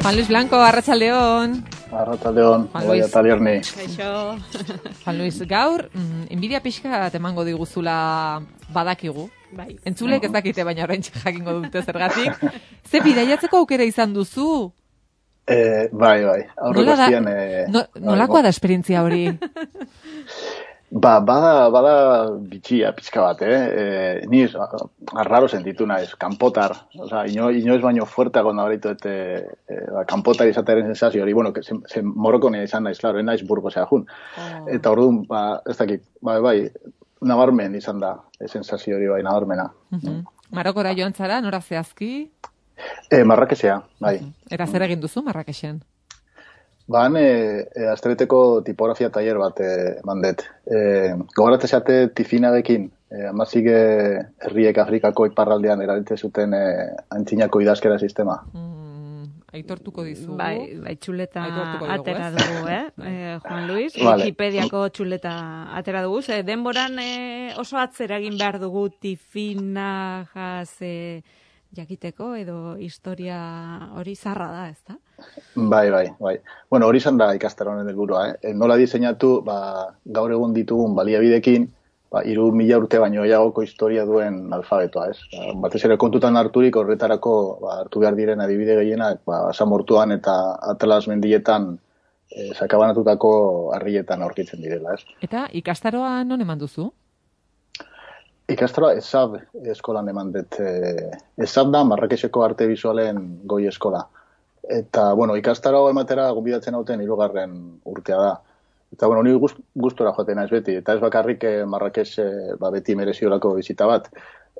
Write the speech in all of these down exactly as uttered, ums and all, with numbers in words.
Juan Luis Blanco, arratsaldeon. Arratsaldeon, bai Talierni. Kaixo. Juan Luis, gaur, mm, enbidia pixka emango diguzula badakigu. Bai. Entzulek ez dakite, baina oraintxe jakingo dute zergatik. Ze bidaiatzeko aukera izan duzu? Eh, bai, bai. Nola da, eh, no, nolakoa da esperientzia hori? Ba, bada, bada bitxia pizka bat, eh? eh ni arraro sentitu naiz, kanpotar. Osea, ino, inoiz baino fuerteago nabaritu eta eh, ba, kanpotar izatearen sensazio hori, bueno, zen, zen morrokonea izan naiz, claro, naiz Burgosea jun. Oh. Eta orduan, ba, ez dakit, bai, bai, nabarmen izan da, e, sensazio hori bai, nabarmena. Uh-huh. Mm. Marokora joan zara, nora zehazki? Eh, Marrakesea, bai. Uh-huh. Eta zer egin duzu Marrakesen? Ban, e, e, astebeteko tipografia tailer bat eman dut. E, Gogoratzen zate tifinagekin, e, amazik herriek Afrikako iparraldean erabiltzen zuten e, antzinako idazkera sistema. Mm, aitortuko dizu. Bai, bai txuleta dugu, atera dugu, eh? eh Juan Luis, vale. Wikipediako txuleta atera dugu. Ze, denboran e, oso atzera egin behar dugu tifinagaz e, jakiteko edo historia hori zarra da, ez da? Bai, bai, bai. Bueno, hori izan da ikastaroaren helburua, eh? Nola diseinatu, ba, gaur egun ditugun baliabidekin, ba, hiru mila urte baino gehiagoko historia duen alfabetoa, ez? Ba, batez ere kontutan harturik horretarako ba, hartu behar diren adibide gehienak, ba, Samortuan eta Atlas mendietan eh, sakabanatutako harrietan aurkitzen direla, ez? Eta ikastaroa non eman duzu? Ikastaroa ESAB eskolan eman dut. Eh, ESAB da Marrakeseko arte bizualen goi eskola. Eta, bueno, ikastaro ematera gonbidatzen hauten hirugarren urtea da. Eta, bueno, ni gust, gustora joaten naiz beti. Eta ez bakarrik eh, Marrakes eh, ba, beti mereziolako bizita bat.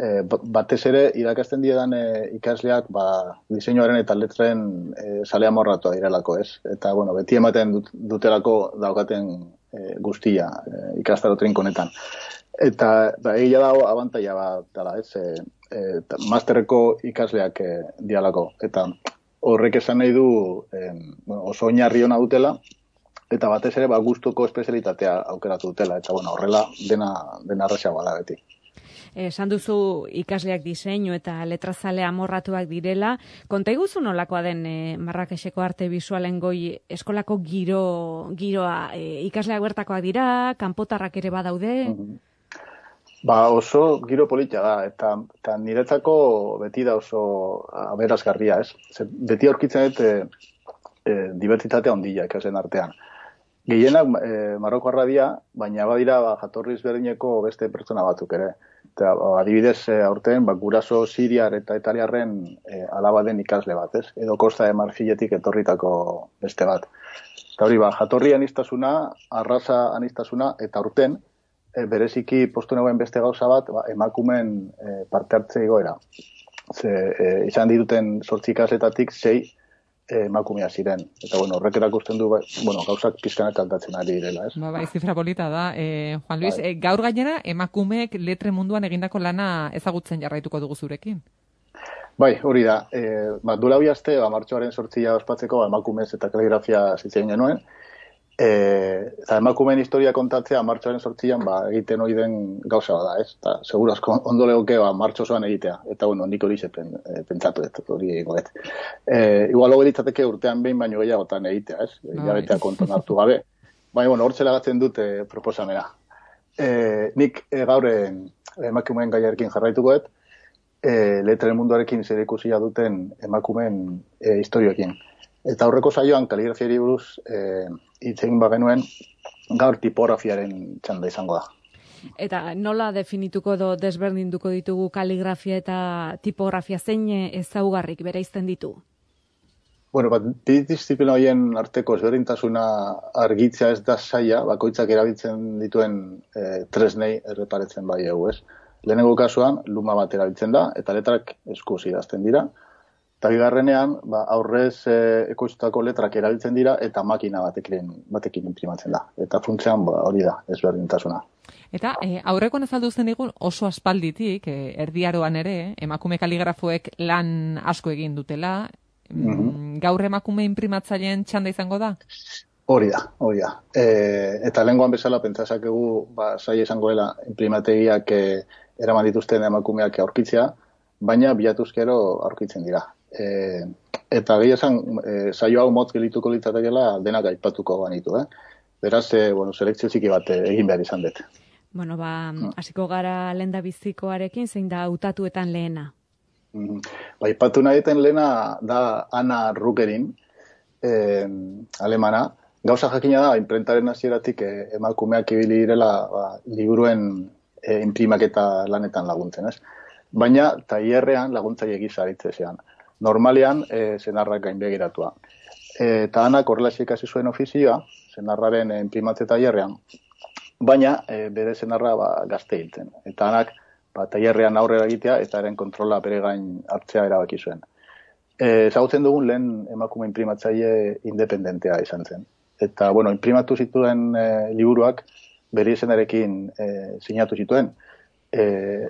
Eh, batez ere, irakasten diedan eh, ikasleak ba, diseinuaren eta letren eh, sale amorratua direlako, ez? Eta, bueno, beti ematen dut, dutelako daukaten eh, guztia eh, ikastaro trinkonetan. Eta, ba, egia dago abantaia bat dela, ez? Eh, eh, masterreko ikasleak eh, dialako. Eta, horrek esan nahi du eh, bueno, oso oinarri ona dutela, eta batez ere ba, gustuko espezialitatea aukeratu dutela, eta bueno, horrela dena, dena arrasagoa da beti. Esan duzu ikasleak diseinu eta letrazale amorratuak direla. Konta iguzu nolakoa den e, Marrakeseko arte bisualen goi eskolako giro, giroa e, ikasleak bertakoak dira, kanpotarrak ere badaude? Mm-hmm. Ba oso giro polita da, eta, eta niretzako beti da oso aberazgarria, ez? Zer, beti aurkitzen dut e, e, dibertsitatea ondila ikasen artean. Gehienak e, Marokoarra dira, baina badira ba, jatorriz berdineko beste pertsona batzuk ere. Eta ba, adibidez e, aurten ba, guraso siriar eta italiarren e, alaba den ikasle bat, ez? Edo Kosta de Marfiletik etorritako beste bat. Eta hori, ba, jatorri anistasuna, arraza anistasuna, eta aurten, E, bereziki postu negoen beste gauza bat, ba, emakumen e, parte hartze igoera. Ze, e, izan dituten zortzi ikasletatik sei e, emakumea ziren. Eta, bueno, horrek erakusten du, ba, bueno, gauzak pizkanak aldatzen ari direla, ez? Ba, bai, zifra polita da. E, Juan Luis, e, gaur gainera, emakumeek letre munduan egindako lana ezagutzen jarraituko dugu zurekin? Bai, hori da. E, ba, duela bi aste, ba, martxoaren zortzia ospatzeko, ba, emakumez eta kaligrafia zitzen genuen. E, eta emakumeen historia kontatzea martxoaren sortzian ba, egiten hori den gauza da, ez? Eta segurazko ondo legoke ba, martxo osoan egitea. Eta bueno, nik hori zepen, e, pentsatu ez, hori egingo ez. E, igual hori ditzateke urtean behin baino gehiagotan egitea, ez? No, jabetea konton hartu gabe. Baina, bueno, hor zelagatzen dute proposamena. E, nik e, gaur emakumeen gaiarekin jarraituko ez, e, letraren munduarekin zer ikusia duten emakumeen e, historioekin. Eta aurreko saioan kaligrafiari buruz eh, hitz egin bagenuen gaur tipografiaren txanda izango da. Eta nola definituko edo desberdinduko ditugu kaligrafia eta tipografia zein ezaugarrik bereizten ditu? Bueno, bat, bi disiplina horien arteko ezberdintasuna argitzea ez da zaila, bakoitzak erabiltzen dituen eh, tresnei erreparetzen bai egu, ez? Lehenengo kasuan, luma bat erabiltzen da, eta letrak eskuz idazten dira. Eta bigarrenean, ba, aurrez e, ekoiztutako letrak erabiltzen dira eta makina batekin, batekin imprimatzen da. Eta funtzean ba, hori da, ezberdintasuna. Eta e, aurrekoan azalduzen digun oso aspalditik, e, erdiaroan ere, emakume kaligrafoek lan asko egin dutela, mm-hmm. Gaur emakume imprimatzaileen txanda izango da? Hori da, hori da. E, eta lehengoan bezala pentsazakegu, ba, saia izango dela imprimategiak e, eraman dituzten emakumeak aurkitzea, baina bilatuzkero aurkitzen dira. E, eta gehi esan, e, saio hau motz gelituko litzatekeela denak aipatuko banitu, eh? Beraz, e, bueno, selekzio txiki bat egin behar izan dut. Bueno, ba, hasiko gara lenda bizikoarekin, zein da hautatuetan lehena? Mm, ba, aipatu nahi duten lehena da Anna Rugerin, eh, alemana. Gauza jakina da, imprentaren hasieratik eh, emakumeak ibili direla ba, liburuen eh, inprimaketa lanetan laguntzen, ez? Baina, tailerrean laguntzaile gisa aritzean. Normalean, eh, senarrak gainbegiratua. E, eta Anak horrelaxe ikasi zuen ofizioa, senarraren eh, inprimatze tailerrean, baina e, bere senarra ba, gazte hiltzen. Eta Anak ba, tailerrean aurrera egitea eta eren kontrola bere gain hartzea erabaki zuen. E, ezagutzen dugun lehen emakume inprimatzaile independentea izan zen. Eta, bueno, imprimatu zituen e, liburuak bere izenarekin e, sinatu zituen. E,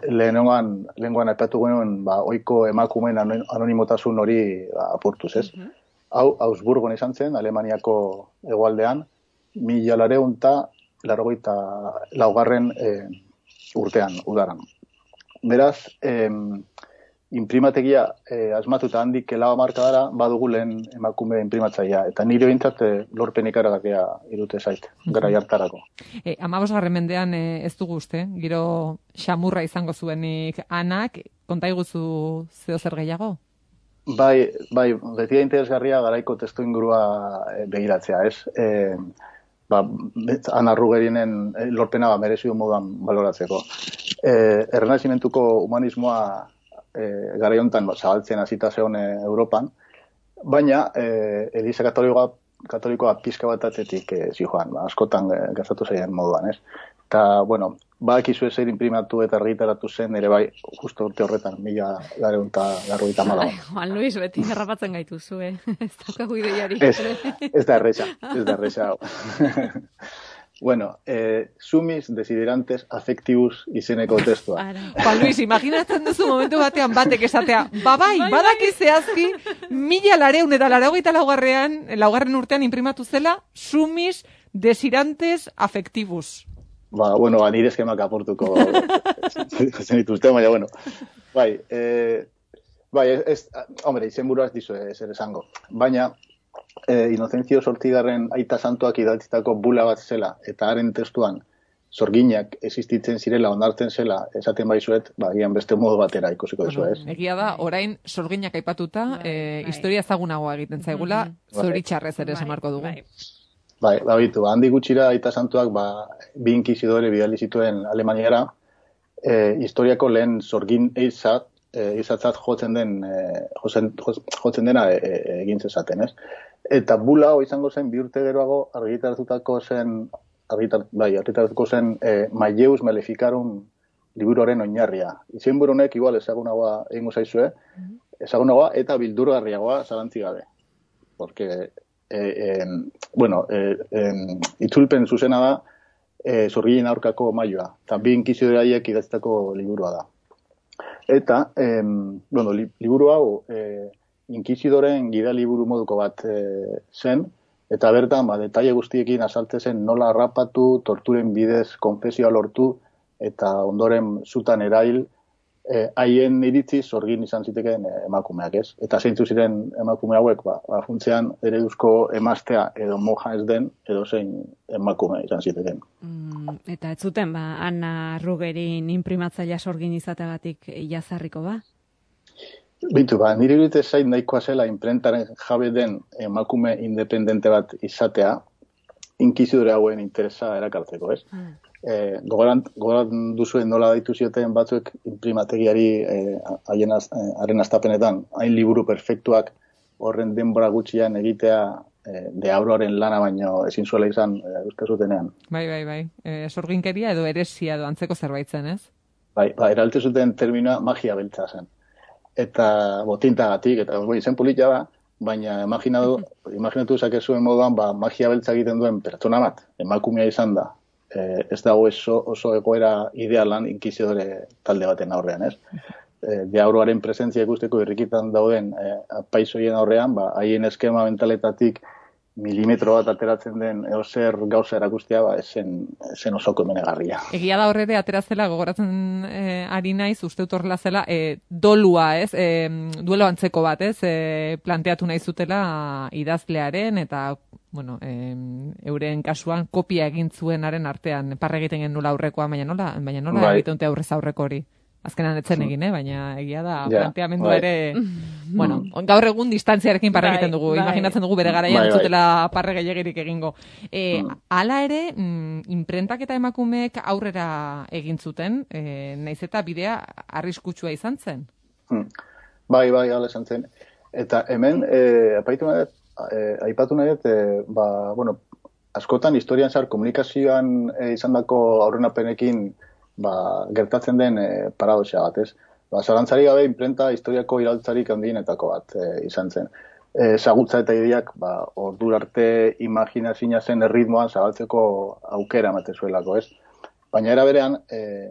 lehenengoan, lehenengoan aipatu genuen, ba, oiko emakumeen anonimotasun hori ba, apurtuz, ez? Uh-huh. Hau, Augsburgon izan zen, Alemaniako hegoaldean, mila lareun eta largoita laugarren e, urtean, udaran. Beraz, e, imprimategia e, asmatuta handik lau hamarkadara badugu lehen emakume imprimatzailea. Eta nire bintzat e, lorpen ikaragarria irute zait, gara jartarako. E, Amabosgarren mendean e, ez dugu uste, giro xamurra izango zuenik Anak, konta iguzu zeo zer gehiago? Bai, bai, beti da interesgarria garaiko testu ingurua e, begiratzea, ez? E, ba, Anna Rugerinen lorpena ba, merezi du moduan baloratzeko. E, Errenazimentuko humanismoa e, garai hontan ba, zabaltzen hasita zegoen Europan, baina e, Eliza Katolikoa, Katolikoa pizka bat atetik e, zijoan, ba, askotan e, gazatu zaien moduan, ez? Eta, bueno, badakizu ezer imprimatu eta argitaratu zen, ere bai, justo urte horretan, mila lareun eta larrogeita hamalau. Juan Luis, beti errapatzen gaitu zue, ez daukagu ideiari. Ez, ez da erresa, ez da erresa. Bueno, eh, sumis desiderantes affectibus izeneko testua. Juan Luis, imaginatzen duzu momentu batean batek esatea, babai, badaki zehazki, mila lareun eta larrogeita laugarrean, laugarren urtean imprimatu zela, sumis desiderantes affectibus. Ba, bueno, ba, nire eskemak aportuko zen dituzte, baina, bueno. Bai, eh, bai, ez, hombre, izen buruaz dizu zer esango. Baina, eh, Inocencio Zortzigarren aita santuak idatzitako bula bat zela, eta haren testuan, zorginak existitzen zirela, onartzen zela, esaten baizuet, ba, gian beste modu batera ikusiko duzu, ez? Egia da, orain zorginak aipatuta, eh, historia ezagunagoa egiten zaigula, zoritxarrez ere esamarko dugu. Bai. Bai, ba, bitu, handi gutxira aita santuak ba, bi inkizidore bidali zituen Alemaniara, e, historiako lehen zorgin eizat, e, eizatzat jotzen den, e, jotzen, jotzen dena e, e, egin zezaten, ez? Eta bula hau izango zen bi urte geroago argitaratutako zen, argitar, bai, argitaratuko zen e, Maileus Maleficarum liburuaren oinarria. Izen burunek igual ezagunagoa egingo zaizue, ezagunagoa eta bildurgarriagoa zalantzi gabe. Porque Eh, eh, bueno, eh, eh, itzulpen zuzena da eh, zorgilen aurkako maioa, eta bi inkizidore haiek idatzitako liburua da. Eta, eh, bueno, li, liburu hau eh, inkizidoren gida liburu moduko bat eh, zen, eta bertan, ba, detaile guztiekin azaltzen zen nola harrapatu, torturen bidez konfesioa lortu, eta ondoren zutan erail, haien eh, iritzi zorgin izan zitekeen eh, emakumeak, ez? Eta zeintzu ziren emakume hauek, ba, ba funtzean ereduzko emaztea edo moja ez den, edo zein emakume izan zitekeen. Mm, eta ez zuten, ba, Anna Rugerin imprimatzailea zorgin izateagatik jazarriko, ba? Bitu, ba, nire irudite zain nahikoa zela imprentaren jabe den emakume independente bat izatea, inkizidore hauen interesa erakartzeko, ez? Mm. Eh, gogoran, gogoran duzuen nola daitu zioten batzuek imprimategiari haien eh, haren astapenetan, hain liburu perfektuak horren denbora gutxian egitea eh, deabroaren lana baino ezin zuela izan eh, uste zutenean. Bai, bai, bai. Eh, sorginkeria edo eresia edo antzeko zerbait zen, ez? Bai, ba, eralte zuten terminoa magia beltza zen. Eta botintagatik, eta boi, zen politia da, baina imaginatu, imaginatu zakezuen moduan, ba, magia beltza egiten duen pertsona bat, emakumea izan da. Eh, ez dago oso, oso egoera idealan inkizidore talde baten aurrean, ez? Eh, deabroaren presentzia ikusteko irrikitan dauden eh, apaizoien aurrean, ba, haien eskema mentaletatik milimetro bat ateratzen den eozer gauza erakustea, ba, esen, esen osoko emenegarria. Egia da horre aterazela, gogoratzen eh, ari naiz, uste dut horrela zela, eh, dolua, ez, eh, duelo antzeko bat, ez, eh, planteatu nahi zutela idazlearen, eta, bueno, eh, euren kasuan kopia egin zuenaren artean, parre egiten genula aurrekoa, baina nola, baina nola bai. Egiten dute aurrez aurreko hori. Azkenan etzen egin, eh? Baina egia da, ja, planteamendu bai. Ere... bueno, gaur egun distantziarekin parre egiten dugu, bai, imaginatzen dugu bere garaian bai, zutela parre gehiagirik egingo. E, mm. Hala ere, mm, imprentak eta emakumeek aurrera egin zuten, e, naiz eta bidea arriskutsua izan zen? Mm. Bai, bai, hala izan zen. Eta hemen, e, apaitu nahi, e, aipatu nahi, e, ba, bueno, askotan historian zar komunikazioan e, izan dako aurrenapenekin ba, gertatzen den e, paradoxa bat, ez? Ba, zalantzari gabe, imprenta historiako iraltzarik handienetako bat e, izan zen. E, zagutza eta ideak, ba, ordur arte imaginazina zen erritmoan zabaltzeko aukera emate zuelako, ez? Baina era berean, e,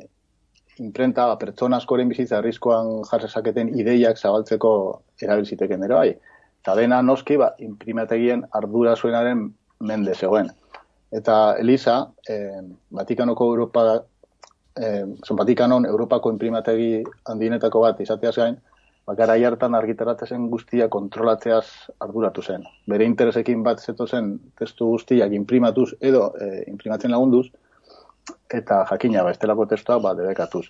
imprenta, ba, pertsona askoren bizitza arriskoan jarsezaketen ideiak zabaltzeko erabilziteken ere bai. Eta dena noski, ba, imprimategien ardura zuenaren mende zegoen. Eta Elisa, e, Vatikanoko Europa Eh, Vatikanon Europako imprimategi handienetako bat izateaz gain, garai hartan argitaratzen guztia kontrolatzeaz arduratu zen. Bere interesekin bat zeto zen testu guztiak imprimatuz edo eh, imprimatzen lagunduz, eta jakina ba, estelako testua ba, debekatuz.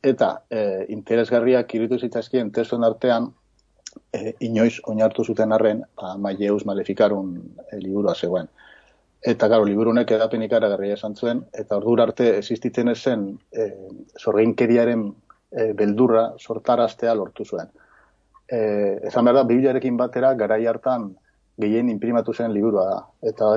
Eta eh, interesgarriak iruditu zitzaizkien testuen artean, eh, inoiz oinartu zuten arren, ba, Malleus Maleficarum eh, liburua zegoen. Eta, garo, liburunek edapen ikaragarria esan zuen, eta ordura arte existitzen ezen e, zorgeinkeriaren e, beldurra sortaraztea lortu zuen. E, ezan behar da, Bibliarekin batera garai hartan gehien imprimatu zen liburua da. Eta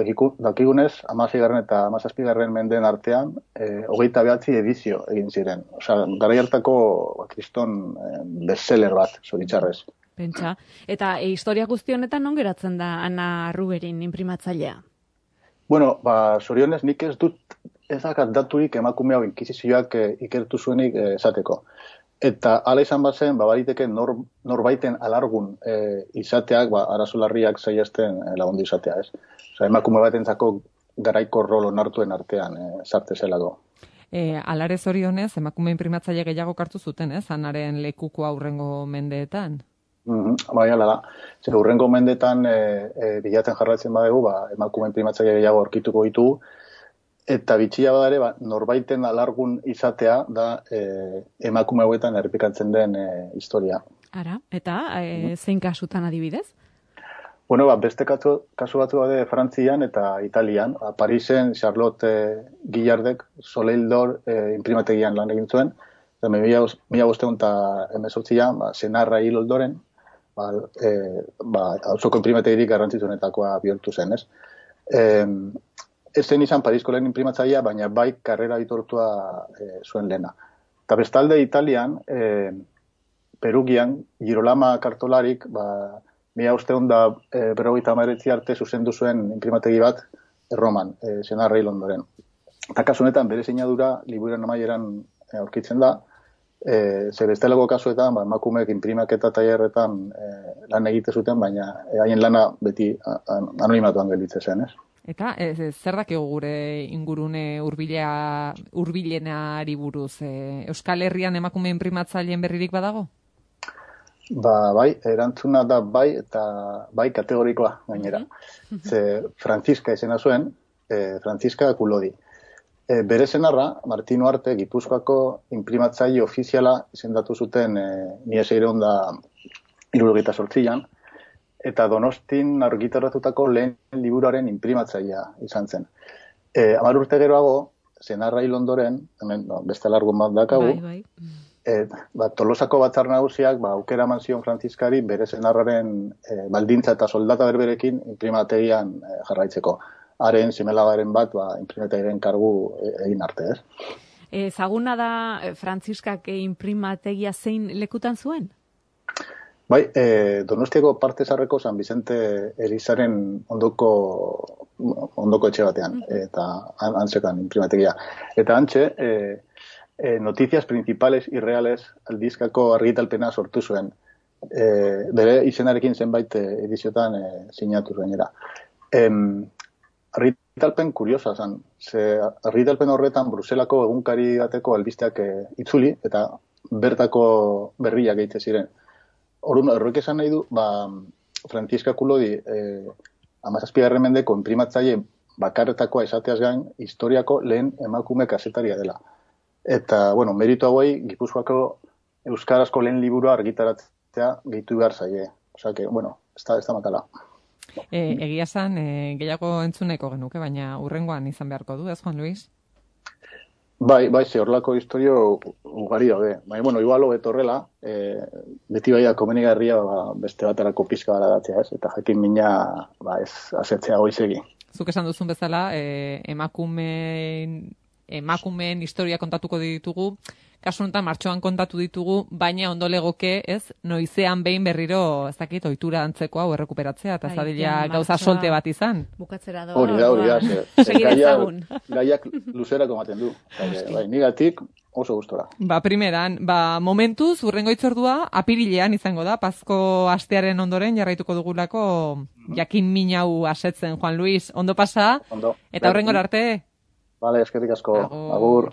dakigunez, hamaseigarren eta hamazazpigarren mendeen artean, e, hogeita behatzi edizio egin ziren. Osea, garai hartako ba, kriston e, bestseller bat, zoritxarrez. Pentsa. Eta e, historia guzti honetan non geratzen da Ana Ruberin imprimatzailea? Bueno, ba, zorionez nik ez dut ezakat daturik emakume hau inkisizioak e, ikertu zuenik e, esateko. Eta hala izan bazen, ba, bariteke nor, norbaiten alargun e, izateak, ba, arazolarriak saiesten e, lagundu izatea, ez? Osa, emakume batentzako garaiko rol onartuen artean e, zarte zelako. E, alare zorionez, emakume imprimatzaile gehiago kartu zuten, ez? Anaren lekuko aurrengo mendeetan. Mm-hmm, bai, ala da. Zer, urrengo mendetan e, e, bilatzen jarraitzen badegu, ba, emakume imprimatzaile gehiago aurkituko ditugu, eta bitxia badare, ba, norbaiten alargun izatea da e, emakume hauetan errepikatzen den e, historia. Ara, eta e, zein kasutan adibidez? Bueno, ba, beste kasu, kasu batzu daude Frantzian eta Italian. Ba, Parisen Charlotte e, Guillardek Soleil d'Or e, imprimategian lan egin zuen. Eta mila bosteun eta emezortzian, ba, senarra hil oldoren, ba, e, ba, auzoko imprimategirik garrantzitsuenetakoa bihurtu zen, ez? E, ez zen izan Parisko lehen imprimatzailea, baina bai karrera aitortua e, zuen lehena. Eta bestalde Italian, e, Perugian, Girolama kartolarik, ba, mila bosteun da e, berrogeita hamaretzi arte zuzendu zuen imprimategi bat Erroman, e, senarra hil ondoren. Eta kasu honetan bere sinadura liburuaren amaieran e, aurkitzen da, E, zer estelako kasuetan, ba, emakumeek imprimaketa tailerretan e, lan egite zuten, baina haien lana beti anonimatuan gelditzen zen, ez? Eta ez, ez, zer dakigu gure ingurune hurbilea hurbilenari buruz? E, Euskal Herrian emakume imprimatzaileen berririk badago? Ba, bai, erantzuna da bai, eta bai kategorikoa gainera. Mm-hmm. Ze Franziska izena zuen, e, Franziska Kulodi. E, bere senarra, Martino Arte, Gipuzkoako imprimatzaile ofiziala izendatu zuten e, mila seiehun eta hirurogeita zortzian, eta Donostin argitaratutako lehen liburuaren imprimatzailea izan zen. E, Hamar urte geroago, senarra hil ondoren, hemen no, beste alargun bat dakagu, bai, bai. E, ba, Tolosako batzar nagusiak ba, aukera eman zion Frantziskari bere senarraren e, baldintza eta soldata berberekin imprimategian e, jarraitzeko. Haren, zimelagaren bat, ba, imprimategiren kargu egin arte, ez? Ezaguna da Frantziskak imprimategia zein lekutan zuen? Bai, e, Donostiako parte zarreko San Vicente Elizaren ondoko, ondoko etxe batean, eta antzekan imprimategia. Eta antxe, e, e, noticias principales y reales aldizkako argitalpena sortu zuen. E, bere izenarekin zenbait ediziotan e, sinatu gainera. Em, argitalpen kuriosa zen. Ze argitalpen horretan Bruselako egunkari bateko albisteak e, itzuli, eta bertako berriak egite ziren. Orduan, horrek esan nahi du, ba, Franziska Kulodi eh, amazazpigarren mendeko inprimatzaile bakarretakoa esateaz gain, historiako lehen emakume kazetaria dela. Eta, bueno, meritu hauei, Gipuzkoako euskarazko lehen liburua argitaratzea gehitu behar zaie. Osa, que, bueno, ez da, ez da matala. E, egia zan, e, gehiago entzuneko genuke, baina urrengoan izan beharko du, ez, Juan Luis? Bai, bai, ze horrelako historio ugari daude. Bai, bueno, igual hobeto horrela, e, beti bai da komenigarria ba, beste baterako pizka gara datzea, ez? Eta jakin mina, ba, ez asetzea goizegi. Zuk esan duzun bezala, e, emakumeen, emakumeen historia kontatuko ditugu, kasu honetan martxoan kontatu ditugu, baina ondo legoke, ez, noizean behin berriro, ez dakit, ohitura antzeko hau errekuperatzea, eta zadila gauza solte bat izan. Bukatzera doa. Hori da, hori da. Segidezagun. Gaiak luzerako ematen du. Bai, nigatik oso gustora. Ba, primeran, ba, momentuz, urrengo itzordua, apirilean izango da, Pazko astearen ondoren jarraituko dugulako jakin minau asetzen, Juan Luis. Ondo pasa, Ondo. Eta horrengor arte. Vale, eskerrik asko. Agur.